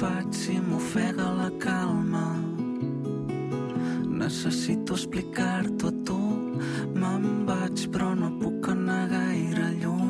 faig si m'ofega la calma? Necessito explicar-t'ho a tu. Me'n vaig però no puc anar gaire lluny.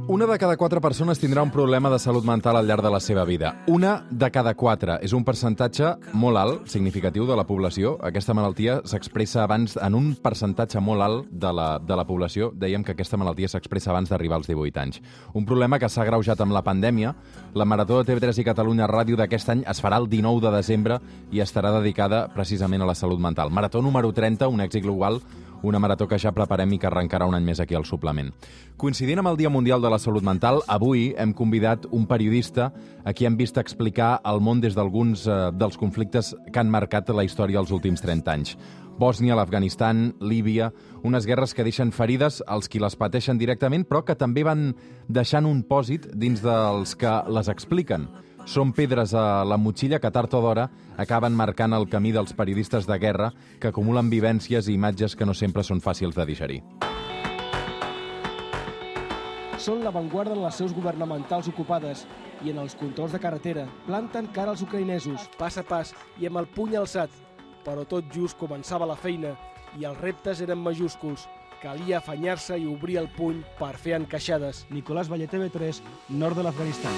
Una de cada 4 persones tindrà un problema de salut mental al llarg de la seva vida. Una de cada 4. És un percentatge molt alt, significatiu de la població. Aquesta malaltia s'expressa abans, en un percentatge molt alt de la població, dèiem que aquesta malaltia s'expressa abans d'arribar als 18 anys. Un problema que s'ha agreujat amb la pandèmia. La Marató de TV3 i Catalunya Ràdio d'aquest any es farà el 19 de desembre i estarà dedicada precisament a la salut mental. Marató número 30, un èxit global, una marató que ja preparem i que arrencarà un any més aquí al suplement. Coincidint amb el Dia Mundial de la Salut Mental, avui hem convidat un periodista a qui hem vist explicar el món des d'alguns dels conflictes que han marcat la història els últims 30 anys. Bòsnia, l'Afganistan, Líbia, unes guerres que deixen ferides als qui les pateixen directament, però que també van deixant un pòsit dins dels que les expliquen. Són pedres a la motxilla que tard o d'hora acaben marcant el camí dels periodistes de guerra que acumulen vivències i imatges que no sempre són fàcils de digerir. Són l'avantguarda en les seus governamentals ocupades i en els controls de carretera. Planten cara als ucraïnesos, pas a pas i amb el puny alçat. Però tot just començava la feina i els reptes eren majúsculs. Calia afanyar-se i obrir el puny per fer encaixades. Nicolás Valle, TV3, nord de l'Afganistan.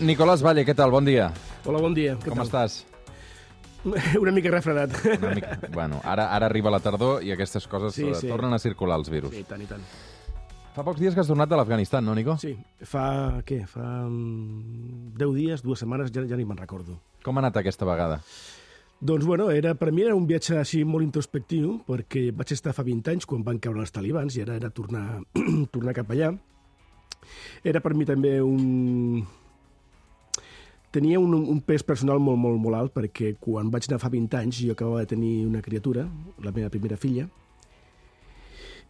Nicolás Valle, què tal? Bon dia. Hola, bon dia. Com estàs? Una mica refredat. Bueno, ara arriba la tardor i aquestes coses tornen a circular, els virus. Sí, i tant. Fa pocs dies que has tornat de l'Afganistan, no, Nico? Sí, fa 10 dies, 2 setmanes, ja ni me'n recordo. Com ha anat aquesta vegada? Doncs, per mi era un viatge així molt introspectiu, perquè vaig estar fa 20 anys quan van caure els talibans i ara era tornar cap allà. Era per mi també Tenia un pes personal molt alt, perquè quan vaig anar fa 20 anys jo acabava de tenir una criatura, la meva primera filla,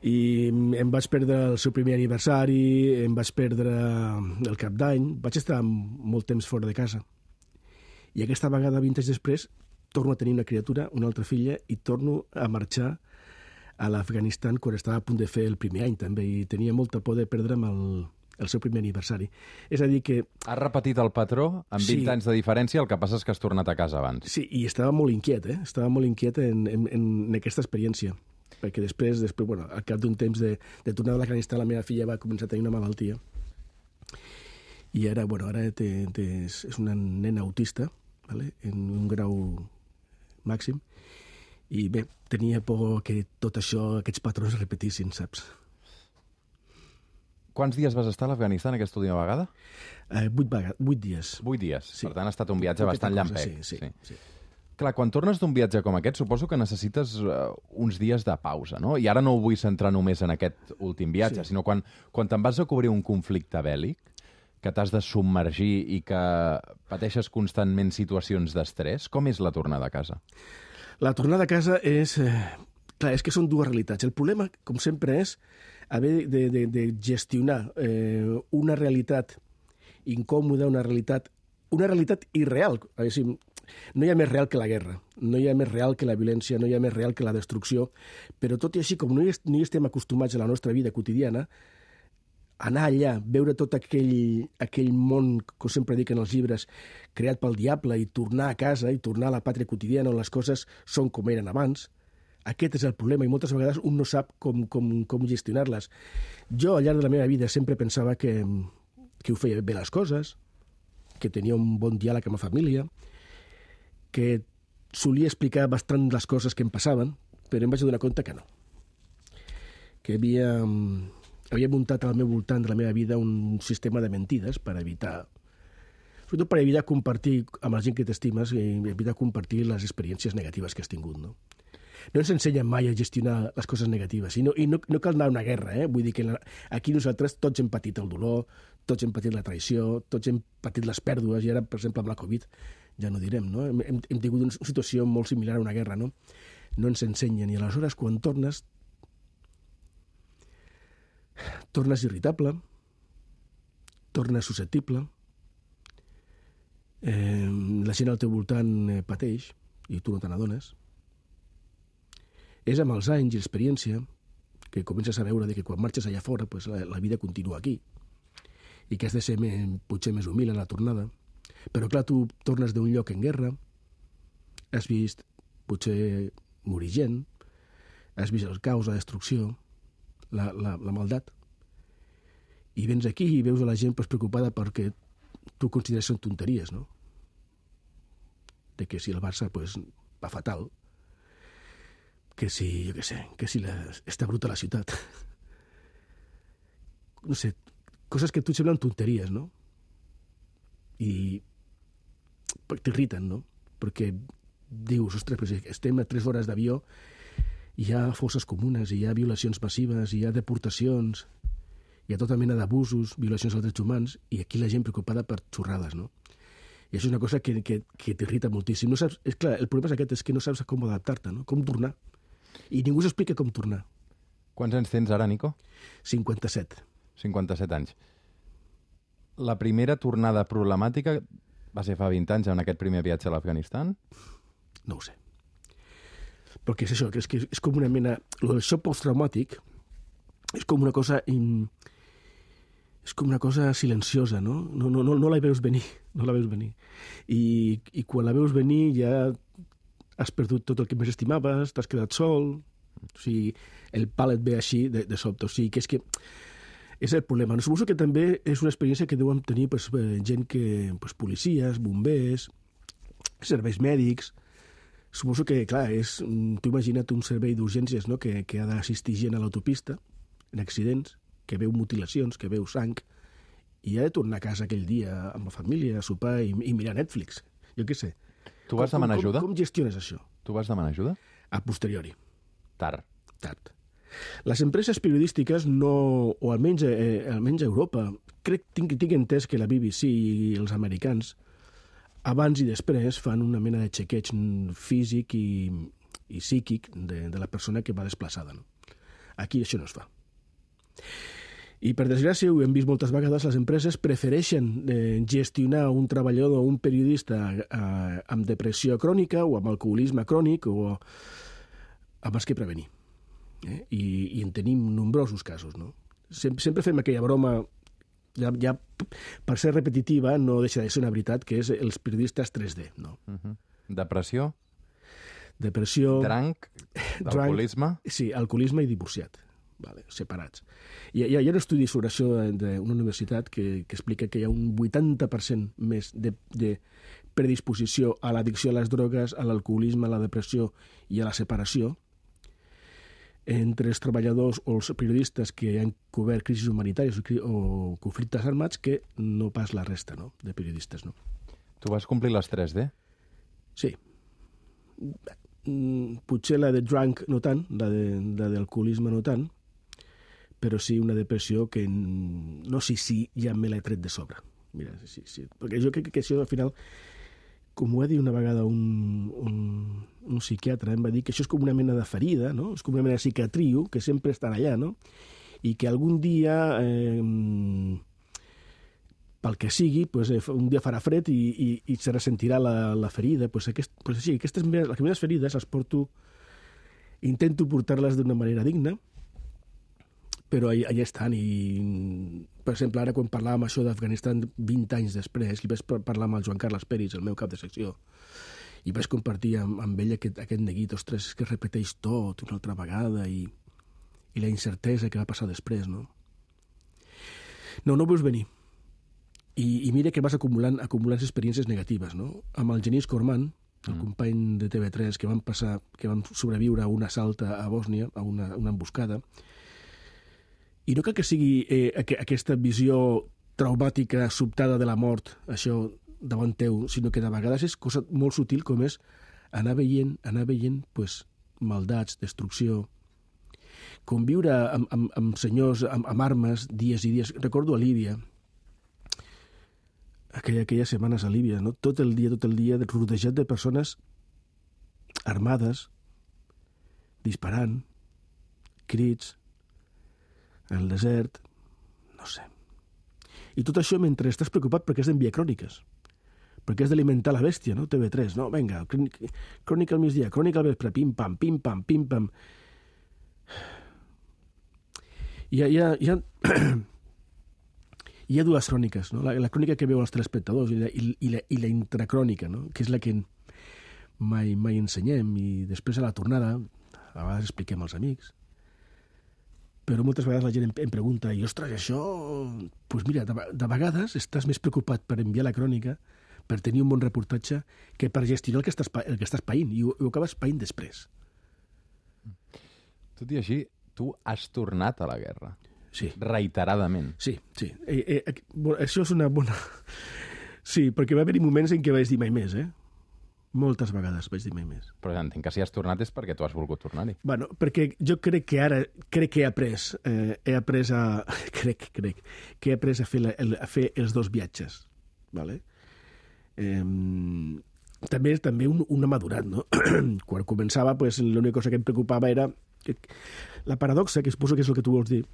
i em vaig perdre el seu primer aniversari, em vaig perdre el cap d'any, vaig estar molt temps fora de casa. I aquesta vegada, 20 anys després, torno a tenir una criatura, una altra filla, i torno a marxar a l'Afganistan quan estava a punt de fer el primer any, també, i tenia molta por de perdre'm el seu primer aniversari. És a dir que... Has repetit el patró amb 20 anys de diferència, el que passa és que has tornat a casa abans. Sí, i estava molt inquiet, Estava molt inquiet en aquesta experiència, perquè després al cap d'un temps de tornar a l'Afganistan, la meva filla va començar a tenir una malaltia, i ara és una nena autista, vale? En un grau màxim, i bé, tenia por que tot això, aquests patrons es repetissin, saps? Quants dies vas estar a l'Afganistan aquesta última vegada? 8 dies. 8 dies. Sí. Per tant, ha estat un viatge bastant llampec. Sí. Clar, quan tornes d'un viatge com aquest, suposo que necessites uns dies de pausa, no? I ara no ho vull centrar només en aquest últim viatge, sinó quan te'n vas a cobrir un conflicte bèl·lic, que t'has de submergir i que pateixes constantment situacions d'estrès, com és la tornada a casa? La tornada a casa és... Clar, és que són dues realitats. El problema, com sempre, és haver de gestionar una realitat incòmoda, una realitat irreal. No hi ha més real que la guerra, no hi ha més real que la violència, no hi ha més real que la destrucció, però tot i així, com no hi estem acostumats a la nostra vida quotidiana, anar allà, veure tot aquell món, com sempre dic en els llibres, creat pel diable, i tornar a casa, i tornar a la pàtria quotidiana on les coses són com eren abans, aquest és el problema, i moltes vegades un no sap com gestionar-les. Jo, al llarg de la meva vida, sempre pensava que ho feia bé les coses, que tenia un bon diàleg amb la família, que solia explicar bastant les coses que em passaven, però em vaig donar compte que no. Que havia muntat al meu voltant de la meva vida un sistema de mentides per evitar, sobretot per evitar compartir amb la gent que t'estimes i evitar compartir les experiències negatives que has tingut, no? No ens ensenya mai a gestionar les coses negatives. I no cal anar a una guerra, Vull dir que aquí nosaltres tots hem patit el dolor, tots hem patit la traïció, tots hem patit les pèrdues, i ara, per exemple, amb la Covid, ja no direm, no? Hem tingut una situació molt similar a una guerra, no? No ens ensenyen, i aleshores, quan tornes irritable, tornes susceptible, la gent al teu voltant pateix, i tu no te n'adones. És amb els anys i l'experiència que comences a veure que quan marxes allà fora la vida continua aquí. i que has de ser potser més humil a la tornada. Però, clar, tu tornes d'un lloc en guerra, has vist potser morir gent, has vist el caos, la destrucció, la maldat, i vens aquí i veus a la gent preocupada perquè tu consideres que són tonteries, no? De que si el Barça va fatal, que si, jo què sé, que si està bruta la ciutat. No sé, coses que a tu et semblen tonteries, no? I t'irriten, no? Perquè dius, ostres, però si estem a 3 hores d'avió, hi ha fosses comunes, hi ha violacions massives, hi ha deportacions, hi ha tota mena d'abusos, violacions als drets humans, i aquí la gent preocupada per xorrades, no? I això és una cosa que t'irrita moltíssim. No saps, és clar, el problema és aquest, és que no saps com adaptar-te, no? Com tornar. I ningú s'explica com tornar. Quants anys tens ara, Nico? 57. 57 anys. La primera tornada problemàtica va ser fa 20 anys en aquest primer viatge a l'Afganistan? No ho sé. Però què és això? Que és com una mena... El xoc posttraumàtic és com una cosa... És com una cosa silenciosa, no? No la veus venir, no la veus venir. I quan la veus venir ja has perdut tot el que més estimaves, t'has quedat sol, o sigui, el pal et ve així de sobte. O sigui, que és el problema. No? Suposo que també és una experiència que deuen tenir gent que... policies, bombers, serveis mèdics. Suposo que, clar, tu imagina't un servei d'urgències, no? que ha d'assistir gent a l'autopista, en accidents, que veu mutilacions, que veu sang, i ha de tornar a casa aquell dia amb la família, a sopar i mirar Netflix. Jo què sé. Tu vas demanar ajuda? Com gestiones això? Tu vas demanar ajuda? A posteriori. Tard. Les empreses periodístiques no, o almenys a Europa, tinc entès que la BBC i els americans abans i després fan una mena de xequeig físic i psíquic de la persona que va desplaçada. No? Aquí això no es fa. I, per desgràcia, ho hem vist moltes vegades, les empreses prefereixen gestionar un treballador o un periodista amb depressió crònica o amb alcoholisme crònic o abans que prevenir. I en tenim nombrosos casos. No? Sempre fem aquella broma, ja per ser repetitiva, no deixa de ser una veritat, que és els periodistes 3D. No? Depressió? Drank, alcoholisme? Sí, alcoholisme i divorciat. Vale, separats. Hi ha un estudi sobre això d'una universitat que explica que hi ha un 80% més de predisposició a l'addicció a les drogues, a l'alcoholisme, a la depressió i a la separació entre els treballadors o els periodistes que han cobert crisis humanitàries o conflictes armats que no pas la resta, no? De periodistes. No? Tu vas complir les 3D? Sí. Potser la de drunk no tant, la d'alcoholisme no tant, però sí una depressió que no sé si ja me l'he tret de sobre. Mira, sí. Perquè jo crec que això al final, com ho va dir una vegada un psiquiatre, em va dir que això és com una mena de ferida, no? És com una mena de cicatriu que sempre estarà allà, no? I que algun dia, pel que sigui, un dia farà fred i se ressentirà la ferida. Sí, aquestes les meves ferides les porto, intento portar-les d'una manera digna, però allà estan. I, per exemple, ara quan parlàvem això d'Afganistan 20 anys després, li vaig parlar amb el Joan Carles Peris, el meu cap de secció, i vaig compartir amb ell aquest neguit, ostres, que repeteix tot una altra vegada i la incertesa que va passar després, no? No ho veus venir. I mira que vas acumulant experiències negatives, no? Amb el Genís Corman, el company de TV3, que vam sobreviure a un assalt a Bòsnia, a una emboscada, i no cal que sigui aquesta visió traumàtica, sobtada de la mort, això davant teu, sinó que de vegades és cosa molt sutil com és anar veient maldats, destrucció, conviure amb senyors amb armes dies i dies. Recordo a Líbia, aquelles setmanes a Líbia, no? tot el dia rodejat de persones armades, disparant, crits, el desert, no sé. I tot això mentre estàs preocupat perquè has d'enviar cròniques, perquè has d'alimentar la bèstia, no? TV3, no? Vinga, crònica al migdia, crònica al vespre, pim-pam, pim-pam, pim-pam. Hi Hi ha dues cròniques, no? La crònica que veu els telespectadors i la intracrònica, no? Que és la que mai ensenyem, i després a la tornada a vegades expliquem als amics. Però moltes vegades la gent em pregunta, i ostres, això... Doncs mira, de vegades estàs més preocupat per enviar la crònica, per tenir un bon reportatge, que per gestionar el que estàs païnt, i ho acabes païnt després. Tot i així, tu has tornat a la guerra. Sí. Reiteradament. Sí. Això és una bona... Sí, perquè va haver-hi moments en què vaig dir mai més, Moltes vegades vaig dir mai més. Però entenc que si has tornat és perquè tu has volgut tornar-hi. Bueno, perquè jo crec que ara he après a fer els dos viatges, ¿vale? També un amadurat, no? Quan començava, pues, l'única cosa que em preocupava era... La paradoxa, que suposo que és el que tu vols dir,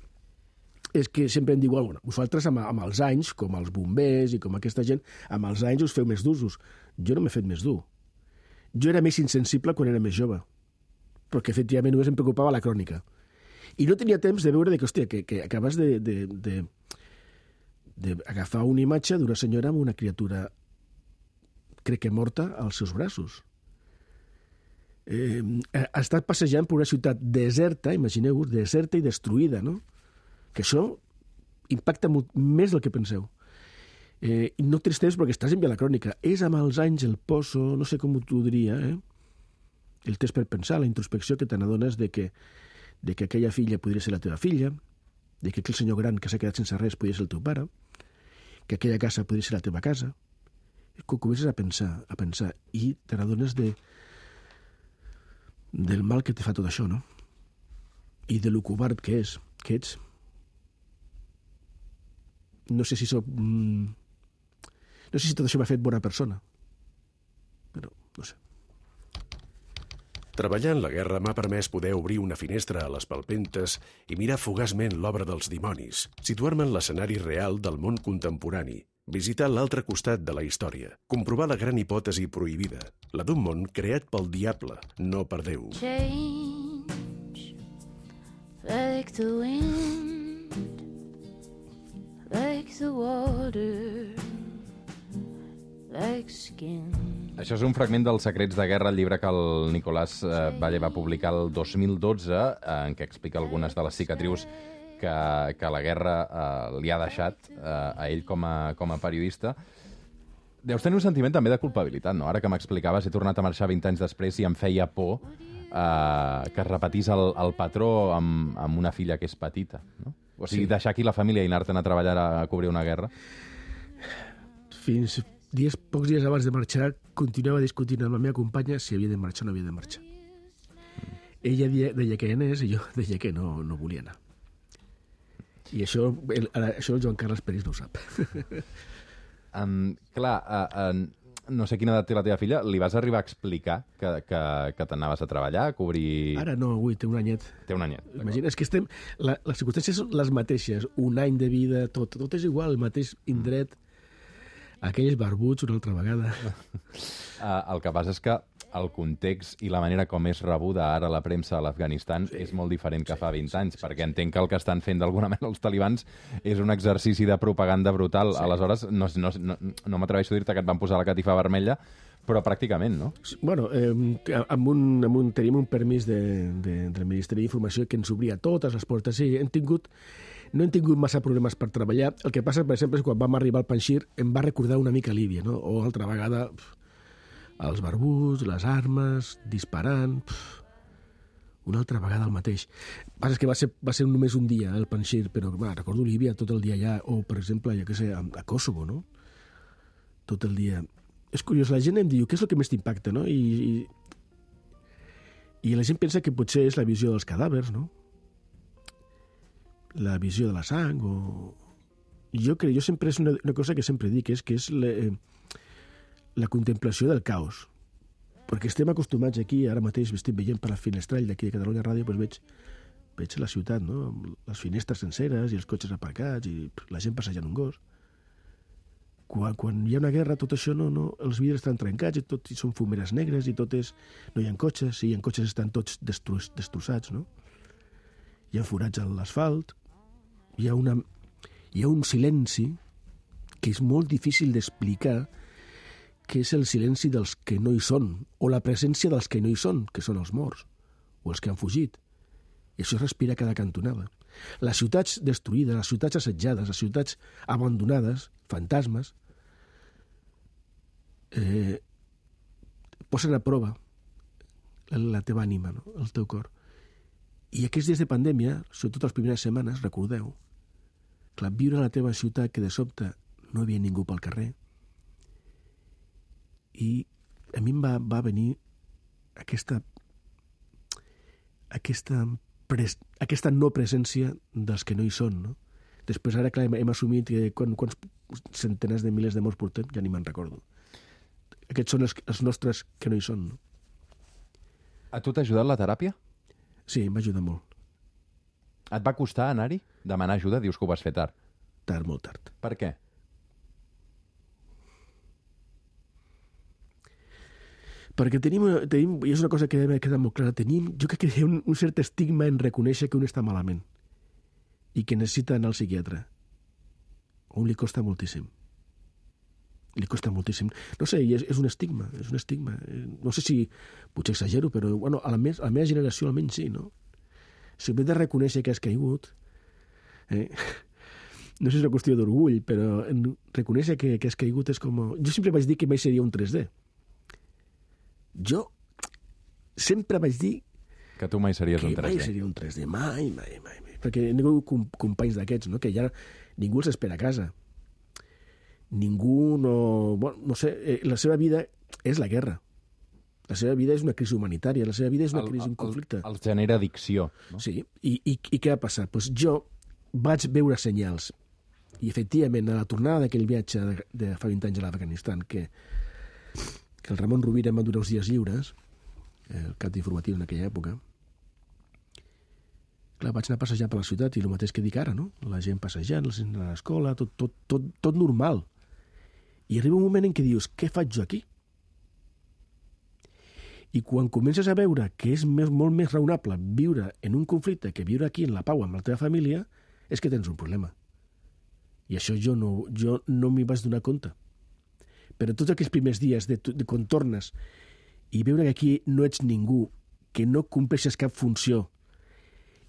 és que sempre em diuen, bueno, vosaltres amb els anys, com els bombers i com aquesta gent, amb els anys us feu més d'usos. Jo no m'he fet més dur. Jo era més insensible quan era més jove, perquè efectivament només em preocupava la crònica. I no tenia temps de veure que, hòstia, que acabes d'agafar una imatge d'una senyora amb una criatura, crec que morta, als seus braços. Ha estat passejant per una ciutat deserta, imagineu-vos, deserta i destruïda, no? Que això impacta molt més del que penseu. I no tens temps perquè estàs enviant la crònica. És amb els anys el poso, no sé com t'ho diria, el temps per pensar, la introspecció que te n'adones de que aquella filla podria ser la teva filla, de que aquell senyor gran que s'ha quedat sense res podria ser el teu pare, que aquella casa podria ser la teva casa. Quan comences a pensar, i te n'adones del mal que te fa tot això, no? I de lo covard que ets. No sé si tot això m'ha fet bona persona, però no sé. Treballar en la guerra m'ha permès poder obrir una finestra a les palpentes i mirar fugaçment l'obra dels dimonis, situar-me en l'escenari real del món contemporani, visitar l'altre costat de la història, comprovar la gran hipòtesi prohibida, la d'un món creat pel diable, no per Déu. Change, like the wind, like the water, like skin. Això és un fragment dels Secrets de Guerra, el llibre que el Nicolás Valle va publicar el 2012, en què explica algunes de les cicatrius que la guerra li ha deixat a ell com a periodista. Deus tenir un sentiment també de culpabilitat, no? Ara que m'explicaves, he tornat a marxar 20 anys després i em feia por que es repetís el patró amb una filla que és petita, no? O sigui, sí. Deixar aquí la família i anar-te'n a treballar a cobrir una guerra. Pocs dies abans de marxar, continuava discutint amb la meva companya si havia de marxar o no havia de marxar. Ella deia que anés i jo deia que no volia anar. I això el Joan Carles Peris no ho sap. No sé quina edat té la teva filla. Li vas arribar a explicar que t'anaves a treballar, a cobrir... Ara no, avui té un anyet. Té un anyet. Imagina, és que les circumstàncies són les mateixes. Un any de vida, tot és igual, el mateix indret. Aquells barbuts una altra vegada. El que passa és que el context i la manera com és rebuda ara la premsa a l'Afganistan és molt diferent que fa 20 anys, perquè entenc que el que estan fent d'alguna manera els talibans és un exercici de propaganda brutal. Sí. Aleshores, no m'atreveixo a dir-te que et van posar la catifa vermella, però pràcticament, no? Bueno, tenim un permís del Ministeri d'Informació que ens obria totes les portes. Sí, no hem tingut massa problemes per treballar. El que passa, per exemple, és quan vam arribar al Panjshir em va recordar una mica Líbia, no? O altra vegada els barbuts, les armes, disparant... Una altra vegada el mateix. El que passa és que va ser només un dia, el Panjshir, però recordo Líbia tot el dia allà, o, per exemple, jo què sé, a Kosovo, no? Tot el dia... És curiós, la gent em diu, què és el que més t'impacta, no? I la gent pensa que potser és la visió dels cadàvers, no? La visió de la sang, o... Jo sempre és una cosa que sempre dic, que és la contemplació del caos. Perquè estem acostumats aquí, ara mateix estic veient per la finestrall d'aquí de Catalunya Ràdio, doncs veig la ciutat, no? Amb les finestres senceres i els cotxes aparcats i la gent passejant un gos. Quan hi ha una guerra, tot això els vidres estan trencats i tot són fumeres negres i tot és... No hi ha cotxes, sí, hi ha cotxes, estan tots destrossats, no? Hi ha forats a l'asfalt, hi ha un silenci que és molt difícil d'explicar, que és el silenci dels que no hi són, o la presència dels que no hi són, que són els morts, o els que han fugit. I això es respira a cada cantonada. Les ciutats destruïdes, les ciutats assetjades, les ciutats abandonades, fantasmes, posen a prova la teva ànima, no? El teu cor. I aquests dies de pandèmia, sobretot les primeres setmanes, recordeu, clar, viure a la teva ciutat que de sobte no hi havia ningú pel carrer, i a mi em va venir aquesta no presència dels que no hi són, no? Després, ara, clar, hem assumit que quants centenars de milers de morts portem, ja ni me'n recordo. Aquests són els nostres que no hi són, no? A tu t'ha ajudat la teràpia? Sí, em va ajudar molt. Et va costar anar-hi? Demanar ajuda? Dius que ho vas fer tard. Tard, molt tard. Per què? Perquè tenim, i és una cosa que m'ha quedat molt clara, jo crec que hi ha un cert estigma en reconèixer que un està malament i que necessita anar al psiquiatre. A un li costa moltíssim. Li costa moltíssim. No sé, és un estigma, és un estigma. No sé si potser exagero, però bueno, a la meva generació almenys sí, no? Si hem de reconèixer que has caigut, no sé si és una qüestió d'orgull, però reconèixer que has caigut és com... Jo sempre vaig dir que mai seria un 3D. Jo sempre vaig dir que tu mai series un 3D. Que mai seria un 3D, mai. Perquè hi ha companys d'aquests, no? Que ja ningú els espera a casa. Ningú no... Bueno, no sé, la seva vida és la guerra. La seva vida és una crisi humanitària, la seva vida és una crisi, un conflicte. Els genera addicció, no? Sí, i què va passar? Pues jo vaig veure senyals, i efectivament, a la tornada d'aquell viatge de fa 20 anys a l'Afganistan, que el Ramon Rovira em va donar uns dies lliures, el cap d'informatiu en aquella època, clar, vaig anar a passejar per la ciutat i el mateix que dic ara, no? La gent passejant, la gent a l'escola, tot normal. I arriba un moment en què dius, què faig jo aquí? I quan comences a veure que és molt més raonable viure en un conflicte que viure aquí en la pau amb la teva família, és que tens un problema. I això jo no m'hi vaig donar compte. Però tots aquells primers dies de quan tornes i veure que aquí no ets ningú, que no compleixes cap funció,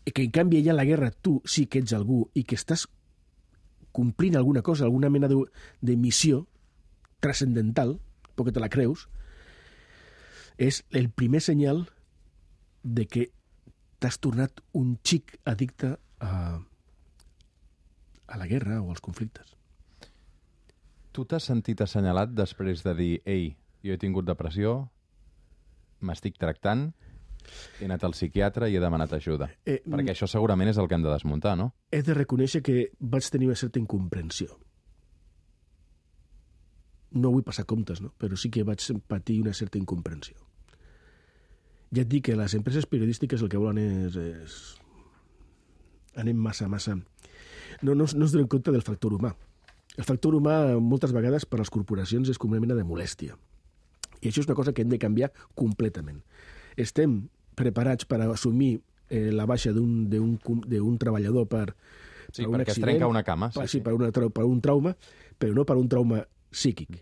i que en canvi allà a la guerra tu sí que ets algú i que estàs complint alguna cosa, alguna mena de missió transcendental, perquè te la creus, és el primer senyal de que t'has tornat un xic addicte a la guerra o als conflictes. Tu t'has sentit assenyalat després de dir ei, jo he tingut depressió, m'estic tractant, he anat al psiquiatre i he demanat ajuda. Perquè això segurament és el que hem de desmuntar, no? He de reconèixer que vaig tenir una certa incomprensió. No vull passar comptes, no? Però sí que vaig patir una certa incomprensió. Ja et dic que les empreses periodístiques el que volen és... Anem massa... No es donen compte del factor humà. El factor humà, moltes vegades, per a les corporacions és com una mena de molèstia. I això és una cosa que hem de canviar completament. Estem preparats per assumir la baixa d'un treballador per un accident. Perquè es trenca una cama. Sí, per un trauma, però no per un trauma psíquic.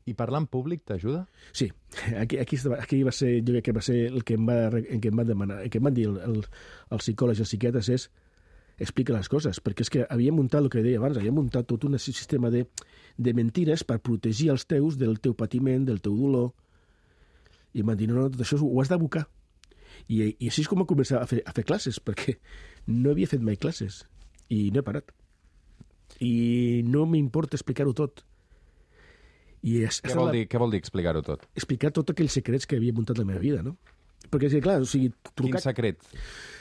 I parlar en públic t'ajuda? Sí. Aquí va ser, jo crec que va ser el que em van demanar, el que em van dir els psicòlegs i els psiquiatres és explica les coses, perquè és que havíem muntat el que deia abans, havíem muntat tot un sistema de mentires per protegir els teus del teu patiment, del teu dolor, i em van dir, no, tot això ho has d'abocar. I així és com a començar a fer classes, perquè no havia fet mai classes, i no he parat. I no m'importa explicar-ho tot. Què vol dir explicar-ho tot? Explicar tots aquells secrets que havia muntat la meva vida, no? Perquè, és que, clar, o sigui... Quin secret?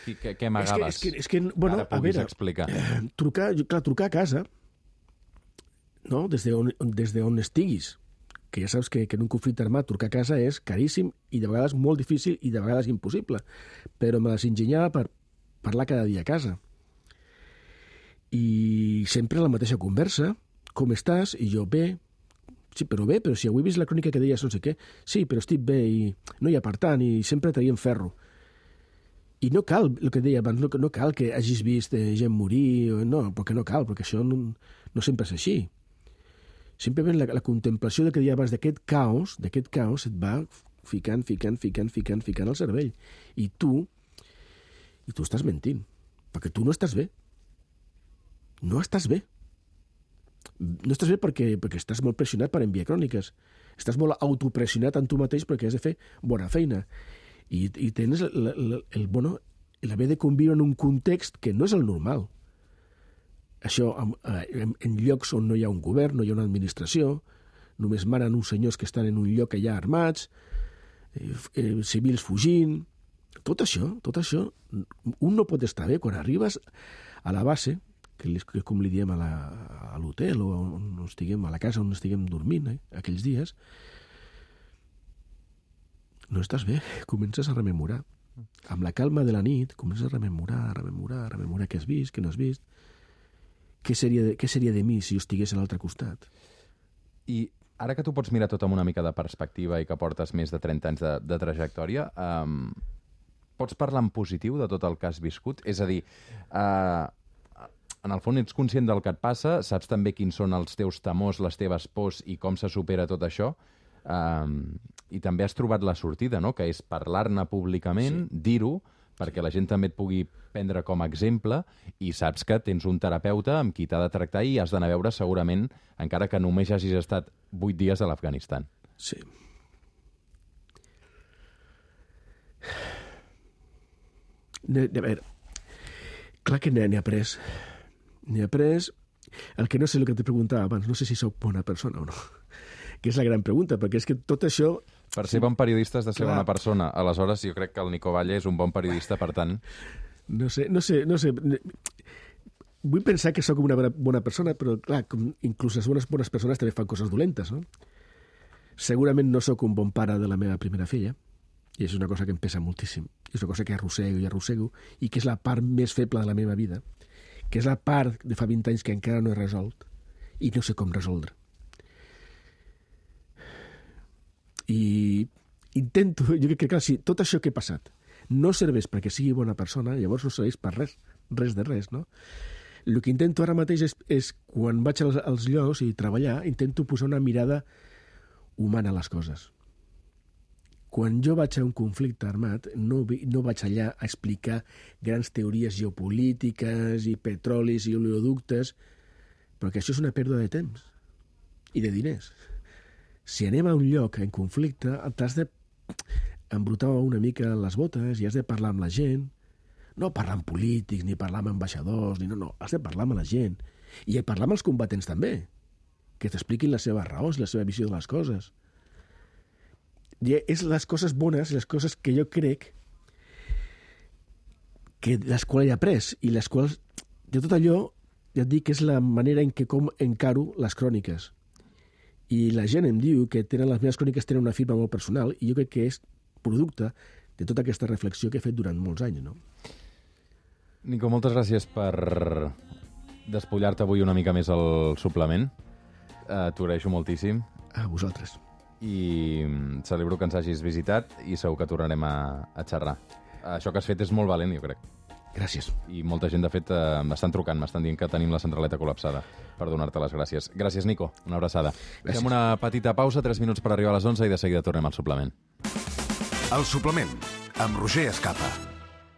Què amagaves? És que bueno, ara puguis explicar. Trucar a casa, no? Des d'on estiguis, que ja saps que en un conflicte armat trucar a casa és caríssim i de vegades molt difícil i de vegades impossible, però me les ingeniava per parlar cada dia a casa. I sempre la mateixa conversa, com estàs? I jo, bé. Sí, però bé, però si avui he vist la crònica que deies no sé què. Sí, però estic bé i no hi ha per tant i sempre traiem ferro. I no cal, el que deia abans, no cal que hagis vist gent morir, no, perquè no cal, perquè això no sempre és així. Simplement la contemplació que deia abans d'aquest caos et va ficant al cervell. I tu estàs mentint, perquè tu no estàs bé. No estàs bé. No estàs bé perquè estàs molt pressionat per enviar cròniques. Estàs molt autopressionat en tu mateix perquè has de fer bona feina. I tens l'haver de conviure en un context que no és el normal. Això en llocs on no hi ha un govern, no hi ha una administració, només manen uns senyors que estan en un lloc allà armats, civils fugint. Tot això, un no pot estar bé quan arribes a la base, que és com li diem a l'hotel o on estiguem, a la casa on estiguem dormint aquells dies, no estàs bé, comences a rememorar. Amb la calma de la nit comences a rememorar què has vist, què no has vist, què seria de mi si jo estigués a l'altre costat. I ara que tu pots mirar tot amb una mica de perspectiva i que portes més de 30 anys de trajectòria, pots parlar en positiu de tot el que has viscut? És a dir, en el fons ets conscient del que et passa, saps també quins són els teus temors, les teves pors i com se supera tot això, i també has trobat la sortida, no? Que és parlar-ne públicament, dir-ho, perquè la gent també et pugui prendre com a exemple, i saps que tens un terapeuta amb qui t'ha de tractar i has d'anar a veure segurament, encara que només hagis estat 8 dies a l'Afganistan. Sí. A veure, clar que n'he après. N'he après. El que no sé el que te preguntava abans, no sé si sóc bona persona o no, que és la gran pregunta, perquè és que tot això... Per ser bon periodista has de ser bona persona. Aleshores, jo crec que el Nico Valle és un bon periodista, per tant... No sé. Vull pensar que sóc una bona persona, però, clar, inclús les bones persones també fan coses dolentes, no? Segurament no sóc un bon pare de la meva primera filla, i és una cosa que em pesa moltíssim. És una cosa que arrossego, i que és la part més feble de la meva vida, que és la part de fa 20 anys que encara no he resolt, i no sé com resoldre. I intento, jo crec que, clar, si tot això que he passat no serveix perquè sigui bona persona, llavors no serveix per res, no? El que intento ara mateix és quan vaig als llocs i treballar, intento posar una mirada humana a les coses. Quan jo vaig a un conflicte armat, no vaig allà a explicar grans teories geopolítiques i petrolis i oleoductes, perquè això és una pèrdua de temps i de diners. Si anem a un lloc en conflicte, t'has de embrutar una mica les botes i has de parlar amb la gent. No parlar amb polítics, ni parlar amb ambaixadors, no, has de parlar amb la gent. I parlar amb els combatents també, que t'expliquin les seves raons, la seva visió de les coses. I és les coses bones, les coses que jo crec que les quals he après i les quals, de tot allò, ja et dic que és la manera en què com encaro les cròniques. I la gent em diu que les meves cròniques tenen una firma molt personal i jo crec que és producte de tota aquesta reflexió que he fet durant molts anys, no? Nico, moltes gràcies per despullar-te avui una mica més al suplement. T'ho agraeixo moltíssim. A vosaltres. I celebro que ens hagis visitat i segur que tornarem a xerrar. Això que has fet és molt valent, jo crec. Gràcies. I molta gent, de fet, m'estan trucant, m'estan dient que tenim la centraleta col·lapsada per donar-te les gràcies. Gràcies, Nico. Una abraçada. Gràcies. Fem una petita pausa, 3 minuts per arribar a les 11 i de seguida tornem al suplement. El suplement, amb Roger Escapa.